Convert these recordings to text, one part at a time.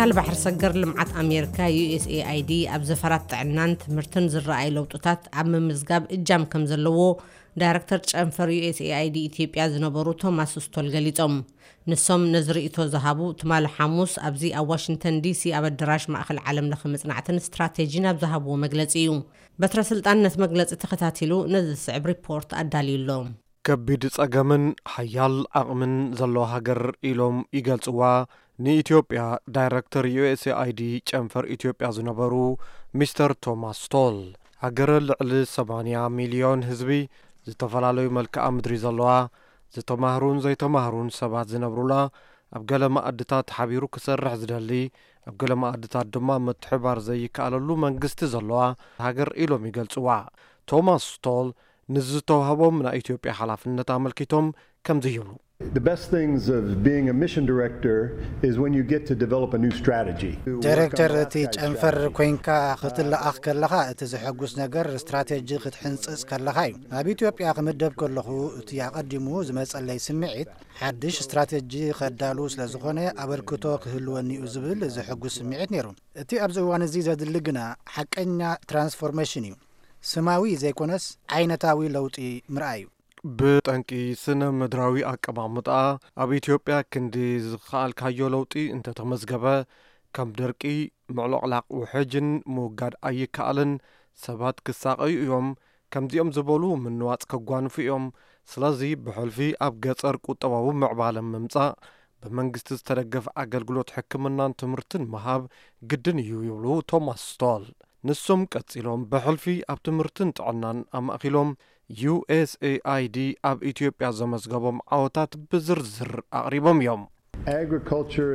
ትካል ባሕሪ ሰገር ልምዓት ኣሜሪካ፣ ዩ ኤስ ኤ ኣይ ዲ፣ ኣብ ዘፈራት ጥዕናን ትምህርትን ዝረኣይ ለውጥታት ኣብ ምምዝጋብ እጃም ከም ዘለዎ ዳይረክተር ጨንፈር ዩ ኤስ ኤ ኣይ ዲ ኢትዮጵያ ዝነበሩ ቶማስ ስቶል ገሊጾም። ንሶም ነዚ ርእይቶ ዝሃቡ ትማሊ ሓሙስ ኣብዚ ኣብ ዋሽንግተን ዲ ሲ ኣብ ኣደራሽ ማእከል ዓለም ለኸ መጽናዕትን ስትራቴጂን ኣብ ዝሃብዎ መግለጺ እዩ። በትረ ስልጣን ነቲ መግለጺ ተኸታቲሉ ነዚ ዝስዕብ ሪፖርት ኣዳልዩ ኣሎ። ከቢድ ጸገምን ሓያል ዓቕምን ዘለዋ ሃገር ኢሎም ይገልጽዋ ንኢትዮጵያ ዳይረክተር ዩ ኤስ ኤ ኣይ ዲ ጨንፈር ኢትዮጵያ ዝነበሩ ሚስተር ቶማስ ስቶል። ሃገር ልዕሊ ሰማንያ ሚልዮን ህዝቢ፣ ዝተፈላለዩ መልክዓ ምድሪ ዘለዋ፣ ዝተማህሩን ዘይተማህሩን ሰባት ዝነብሩላ፣ ኣብ ገለ መኣድታት ሓቢሩ ክሰርሕ ዝደሊ፣ ኣብ ገለ መኣድታት ድማ ምትሕባር ዘይከኣለሉ መንግስቲ ዘለዋ ሃገር ኢሎም ይገልጽዋ። ቶማስ ስቶል ንዝተዋህቦም ናይ ኢትዮጵያ ሓላፍነት ኣመልኪቶም ከምዚ ይብሉ። The best things of being a mission director is when you get to develop a new strategy. ዳይሬክተር እቲ ጨንፈር ኮይንካ ክትለኣኽ ከለኻ እቲ ዘሐጉስ ነገር ስትራቴጂ ክትሕንጽጽ ከለኻ እዩ። ናብ ኢትዮጵያ ክምደብ ከለኹ እቲ ኣቐዲሙ ዝመጸለይ ስምዒት ሓድሽ ስትራቴጂ ከዳሉ ስለ ዝኾነ ኣበርክቶ ክህልወኒ እዩ ዝብል ዘሐጉስ ስምዒት ነይሩ። እቲ ኣብዚ እዋን እዚ ዘድሊ ግና ሓቀኛ ትራንስፎርሜሽን እዩ። ስማዊ ዘይኮነስ ዓይነታዊ ለውጢ ምርኣይ እዩ። ብጠንቂ ስነ ምድራዊ ኣቀማምጣ ኣብ ኢትዮጵያ ክንዲ ዝኸኣልካዮ ለውጢ እንተተመዝገበ ከም ድርቂ፣ ምዕሎቕላቕ ውሕጅን ምውጋድ ኣይከኣልን። ሰባት ክሳቐዩ እዮም። ከምዚኦም ዝበሉ ምንዋጽ ከጓንፉ እዮም። ስለዚ ብሕልፊ ኣብ ገጸር ቁጠባዊ ምዕባለ ምምጻእ፣ ብመንግስቲ ዝተደገፈ ኣገልግሎት ሕክምናን ትምህርትን ምሃብ ግድን እዩ ይብሉ ቶማስ ስቶል። ንሶም ቀጺሎም ብሕልፊ ኣብ ትምህርትን ጥዕናን ኣማእኪሎም ዩ ኤስ ኤ ኣይ ዲ ኣብ ኢትዮጵያ ዘመዝገቦም ዓወታት ብዝርዝር ኣቕሪቦም እዮም። Agriculture,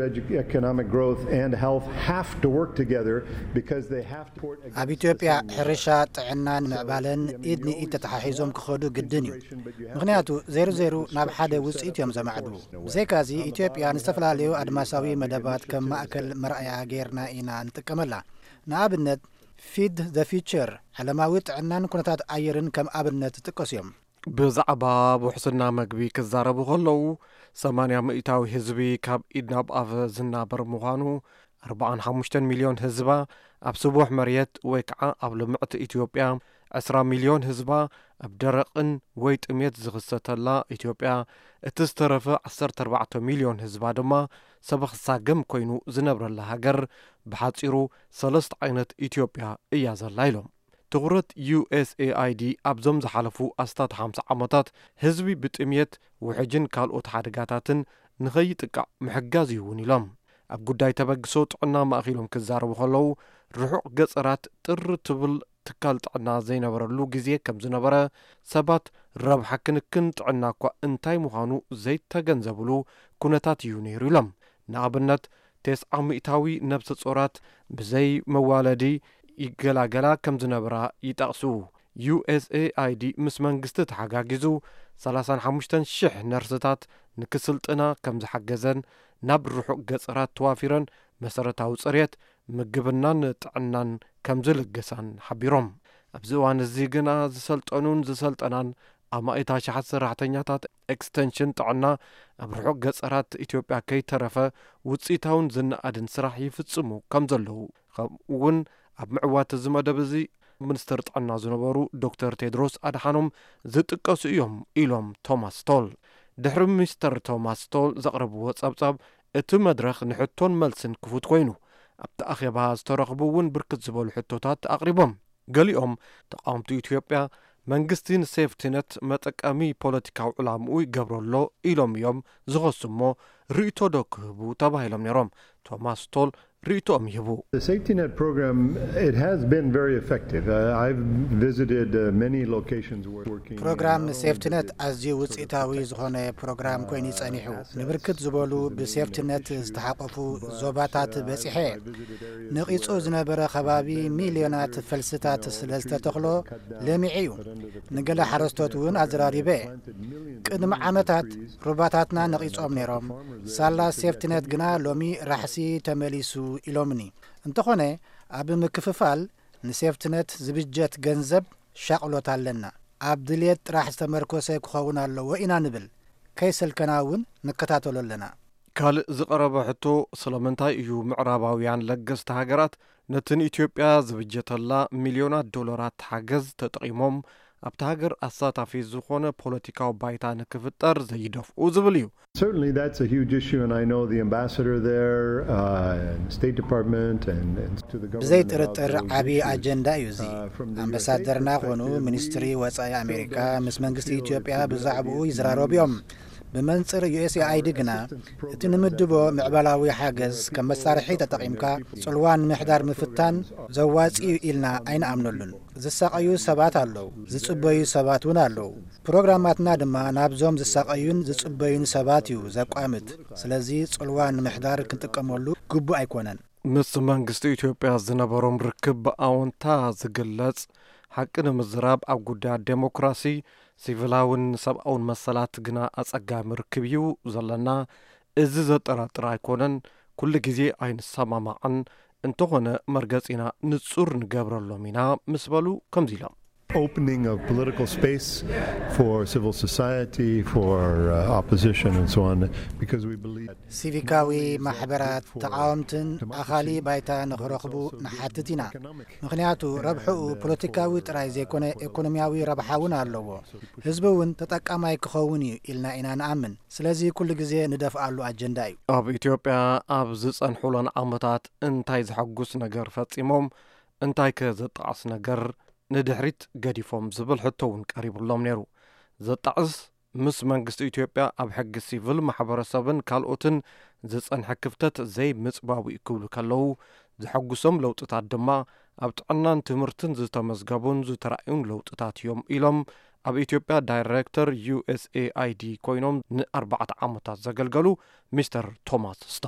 economic growth, and health have to work together because they have to support. ኣብ ኢትዮጵያ ሕርሻ፣ ጥዕናን ምዕባለን ኢድ ንኢድ ተተሓሒዞም ክኸዱ ግድን እዩ። ምኽንያቱ ዜሩ ዜሩ ናብ ሓደ ውፅኢት እዮም ዘማዕድዉ። ብዘይካዚ ኢትዮጵያ ንዝተፈላለዩ ኣድማሳዊ መደባት ከም ማእከል መርኣያ ጌርና ኢና ንጥቀመላ። ንኣብነት ፊድ ዘ ፊውቸር፣ ዓለማዊ ጥዕናን ኩነታት ኣየርን ከም ኣብነት ዝጥቀሱ እዮም። ብዛዕባ ውሕስና መግቢ ክዛረቡ ከለዉ፣ ሰማንያ ሚእታዊ ህዝቢ ካብ ኢድ ናብ ኣፍ ዝናበር ምዃኑ፣ ኣርብዓን ሓሙሽተን ሚልዮን ህዝባ ኣብ ስቡሕ መሬት ወይ ከዓ ኣብ ልምዕቲ ኢትዮጵያ፣ ዕስራ ሚልዮን ህዝባ ኣብ ደረቕን ወይ ጥሜት ዝኽሰተላ ኢትዮጵያ፣ እቲ ዝተረፈ ዓሰርተ ኣርባዕተ ሚልዮን ህዝባ ድማ ሰበኽ ሳገም ኮይኑ ዝነብረላ ሃገር፣ ብሓፂሩ ሰለስተ ዓይነት ኢትዮጵያ እያ ዘላ ኢሎም። ትኹረት ዩ ኤስ ኤ ኣይ ዲ ኣብዞም ዝሓለፉ ኣስታት ሓምሳ ዓመታት ህዝቢ ብጥምየት፣ ውሕጅን ካልኦት ሓደጋታትን ንኸይጥቃዕ ምሕጋዝ እዩ እውን ኢሎም። ኣብ ጉዳይ ተበግሶ ጥዕና ማእኪሎም ክዛረቡ ከለዉ፣ ርሑቕ ገፀራት ጥር ትብል ትካል ጥዕና ዘይነበረሉ ግዜ ከም ዝነበረ፣ ሰባት ረብሓ ክንክን ጥዕና እኳ እንታይ ምዃኑ ዘይተገንዘብሉ ኩነታት እዩ ነይሩ ኢሎም። ንኣብነት፣ ተስዓ ሚእታዊ ነብሰ ጾራት ብዘይ መዋለዲ ይገላገላ ከም ዝነበራ ይጠቕሱ። ዩ ኤስ ኤ ኣይ ዲ ምስ መንግስቲ ተሓጋጊዙ ሰላሳን ሓሙሽተን ሽሕ ነርስታት ንክስልጥና ከም ዝሓገዘን ናብ ርሑቕ ገጸራት ተዋፊረን መሰረታዊ ጽሬት፣ ምግብናን ጥዕናን ከም ዝልግሳን ሓቢሮም። ኣብዚ እዋን እዚ ግና ዝሰልጠኑን ዝሰልጠናን ኣማኢት ኣሽሓት ሰራሕተኛታት ኤክስተንሽን ጥዕና ኣብ ርሑቕ ገጸራት ኢትዮጵያ ከይተረፈ ውፅኢታውን ዝነኣድን ስራሕ ይፍጽሙ ከም ዘለዉ፣ ከምኡ እውን ኣብ ምዕዋት እዚ መደብ እዚ ሚኒስትር ጥዕና ዝነበሩ ዶክተር ቴድሮስ ኣድሓኖም ዝጥቀሱ እዮም ኢሎም ቶማስ ስቶል። ድሕሪ ሚስተር ቶማስ ስቶል ዘቕረብዎ ጸብጻብ፣ እቲ መድረኽ ንሕቶን መልስን ክፉት ኮይኑ፣ ኣብቲ ኣኼባ ዝተረኽቡ እውን ብርክት ዝበሉ ሕቶታት ኣቕሪቦም። ገሊኦም ተቓወምቲ ኢትዮጵያ መንግስቲ ንሴፍቲነት መጠቀሚ ፖለቲካዊ ዕላምኡ ይገብሮ ኣሎ ኢሎም እዮም ዝኸሱ እሞ ርእይቶ ዶ ክህቡ ተባሂሎም ነይሮም። ቶማስ ስቶል ርእይቶኦም ይህቡ። The safety net program, it has been very effective. Uh, I've visited uh, many locations where working. ፕሮግራም ሴፍቲነት ኣዝዩ ውፅኢታዊ ዝኾነ ፕሮግራም ኮይኑ ጸኒሑ። ንብርክት ዝበሉ ብሴፍቲነት ዝተሓቆፉ ዞባታት በጺሐ። ነቒጹ ዝነበረ ከባቢ ሚልዮናት ፈልስታት ስለ ዝተተኽሎ ለሚዑ እዩ። ንገለ ሓረስቶት እውን ኣዘራሪበ። ቅድሚ ዓመታት ሩባታትና ነቒጾም ነይሮም። ሳላ ሴፍቲነት ግና ሎሚ ራሕሲ ተመሊሱ ኢሎምኒ። እንተኾነ ኣብ ምክፍፋል ንሴፍቲነት ዝብጀት ገንዘብ ሻቕሎት ኣለና። ኣብ ድልየት ጥራሕ ዝተመርኮሰ ክኸውን ኣለዎ ኢና ንብል። ከይሰልከና እውን ንከታተሎ ኣለና። ካልእ ዝቐረበ ሕቶ፣ ስለምንታይ እዩ ምዕራባውያን ለገስቲ ሃገራት ነቲ ንኢትዮጵያ ዝብጀተላ ሚልዮናት ዶላራት ሓገዝ ተጠቒሞም ኣብታ ሃገር ኣሳታፊ ዝኾነ ፖለቲካዊ ባይታ ንክፍጠር ዘይደፍኡ ዝብል እዩ። Certainly, that's a huge issue, and I know the ambassador there, uh, and State Department, and, and to the government. ብዘይ ጥርጥር ዓቢ ኣጀንዳ እዩ እዚ። ኣምባሳደርና ኮኑ ሚኒስትሪ ወጻኢ ኣሜሪካ ምስ መንግስቲ ኢትዮጵያ ብዛዕባኡ ይዝራረቡ እዮም። ብመንጽር ዩ ኤስ ኤ ኣይ ዲ ግና እቲ ንምድቦ ምዕባላዊ ሓገዝ ከም መሳርሒ ተጠቒምካ ጽልዋ ንምሕዳር ምፍታን ዘዋጺ እዩ ኢልና ኣይንኣምነሉን። ዝሳቐዩ ሰባት ኣለዉ፣ ዝጽበዩ ሰባት እውን ኣለዉ። ፕሮግራማትና ድማ ናብዞም ዝሳቐዩን ዝጽበዩን ሰባት እዩ ዘቋምት። ስለዚ ጽልዋ ንምሕዳር ክንጥቀመሉ ግቡእ ኣይኮነን። ምስ መንግስቲ ኢትዮጵያ ዝነበሮም ርክብ ብኣወንታ ዝግለጽ፣ ሓቂ ንምዝራብ ኣብ ጉዳያት ዴሞክራሲ፣ ሲቪላውን ሰብኣውን መሰላት ግና ኣጸጋሚ ርክብ እዩ ዘለና። እዚ ዘጠራጥር ኣይኮነን። ኩሉ ግዜ ኣይንሰማማዕን፣ እንተኾነ መርገጺና ንጹር ንገብረሎም ኢና ምስ በሉ ከምዚ ኢሎም። Opening of political space for civil society, for uh, opposition, and so on, because we believe. ሲቪካዊ ማሕበራት፣ ተቓወምትን ኣኻሊ ባይታ ንኽረኽቡ ንሓትት ኢና። ምኽንያቱ ረብሕኡ ፖለቲካዊ ጥራይ ዘይኮነ፣ ኢኮኖሚያዊ ረብሓ እውን ኣለዎ። ህዝቢ እውን ተጠቃማይ ክኸውን እዩ ኢልና ኢና ንኣምን። ስለዚ ኩሉ ግዜ ንደፍኣሉ ኣጀንዳ እዩ። ኣብ ኢትዮጵያ ኣብ ዝጸንሑለን ዓመታት እንታይ ዘሐጉስ ነገር ፈጺሞም፣ እንታይ ከ ዘጣዕስ ነገር ንድሕሪት ገዲፎም ዝብል ሕቶ እውን ቀሪቡሎም ነይሩ። ዘጣዕስ፣ ምስ መንግስቲ ኢትዮጵያ ኣብ ሕጊ ሲቪል ማሕበረሰብን ካልኦትን ዝጸንሐ ክፍተት ዘይምጽባቡ እዩ ክብሉ ከለዉ፣ ዘሐጉሶም ለውጥታት ድማ ኣብ ጥዕናን ትምህርትን ዝተመዝገቡን ዝተራእዩን ለውጥታት እዮም ኢሎም ኣብ ኢትዮጵያ ዳይሬክተር ዩ ኤስ ኤ ኣይ ዲ ኮይኖም ንኣርባዕተ ዓመታት ዘገልገሉ ሚስተር ቶማስ ስታት።